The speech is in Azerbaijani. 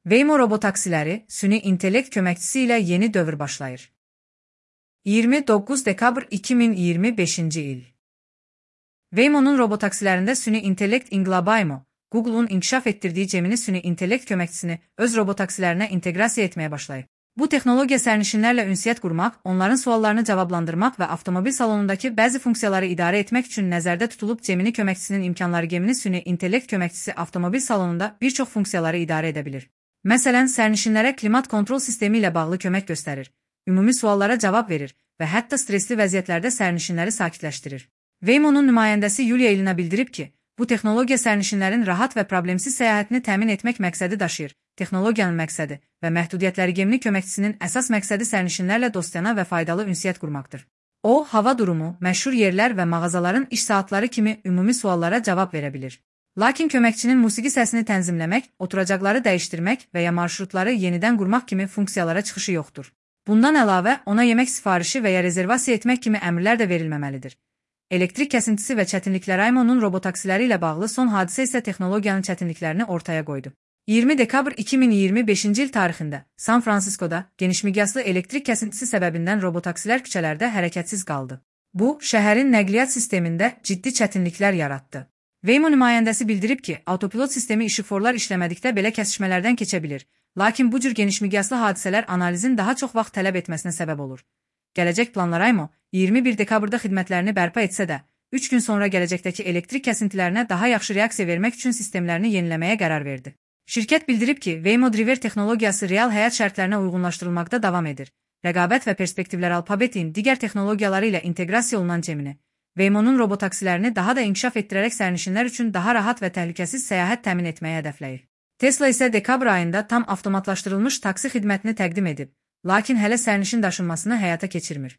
Waymo robotaksiləri süni intellekt köməkçisi ilə yeni dövr başlayır. 29 dekabr 2025-ci il. Waymo'nun robotaksilərində süni intellekt inqilabı Google'un inkişaf etdirdiyi Gemini süni intellekt köməkçisini öz robotaksilərinə inteqrasiya etməyə başlayıb. Bu texnologiya sərnişinlərlə ünsiyyət qurmaq, onların suallarını cavablandırmaq və avtomobil salonundakı bəzi funksiyaları idarə etmək üçün nəzərdə tutulub. Gemini köməkçisinin imkanları. Gemini süni intellekt köməkçisi avtomobil salonunda bir çox funksiyaları idarə edə bilir. Məsələn, sərnişinlərə klimat kontrol sistemi ilə bağlı kömək göstərir, ümumi suallara cavab verir və hətta stresli vəziyyətlərdə sərnişinləri sakitləşdirir. Waymo'nun nümayəndəsi Yulia Ilina bildirib ki, bu texnologiya sərnişinlərin rahat və problemsiz səyahətini təmin etmək məqsədi daşıyır. Texnologiyanın məqsədi və məhdudiyyətləri. Gemini köməkçisinin əsas məqsədi sərnişinlərlə dostyanə və faydalı ünsiyyət qurmaqdır. O, hava durumu, məşhur yerlər və mağazaların iş saatları kimi ümumi suallara cavab verə bilir. Lakin köməkçinin musiqi səsini tənzimləmək, oturacaqları dəyişdirmək və ya marşrutları yenidən qurmaq kimi funksiyalara çıxışı yoxdur. Bundan əlavə, ona yemək sifarişi və ya rezervasiya etmək kimi əmrlər də verilməməlidir. Elektrik kəsintisi və çətinliklər. Waymo'nun robotaksiləri ilə bağlı son hadisə isə texnologiyanın çətinliklərini ortaya qoydu. 20 dekabr 2025-ci il tarixində San Fransiskoda genişmiqyaslı elektrik kəsintisi səbəbindən robotaksilər küçələrdə hərəkətsiz qaldı. Bu, şəhərin nəqliyyat sistemində ciddi çətinliklər yaratdı. Waymo nümayəndəsi bildirib ki, avtopilot sistemi işıqforlar işləmədikdə belə kəsişmələrdən keçə bilir. Lakin bu cür genişmiqyaslı hadisələr analizin daha çox vaxt tələb etməsinə səbəb olur. Gələcək planlar. Waymo 21 dekabrda xidmətlərini bərpa etsə də, 3 gün sonra gələcəkdəki elektrik kəsintilərinə daha yaxşı reaksiya vermək üçün sistemlərini yeniləməyə qərar verdi. Şirkət bildirib ki, Waymo Driver texnologiyası real həyat şərtlərinə uyğunlaşdırılmaqda davam edir. Rəqabət və perspektivlər. Alfabetin digər texnologiyaları ilə inteqrasiya olunan Gemini, Waymo'nun robotaksilərini daha da inkişaf etdirərək sərnişinlər üçün daha rahat və təhlükəsiz səyahət təmin etməyə hədəfləyir. Tesla isə dekabr ayında tam avtomatlaşdırılmış taksi xidmətini təqdim edib, lakin hələ sərnişin daşınmasını həyata keçirmir.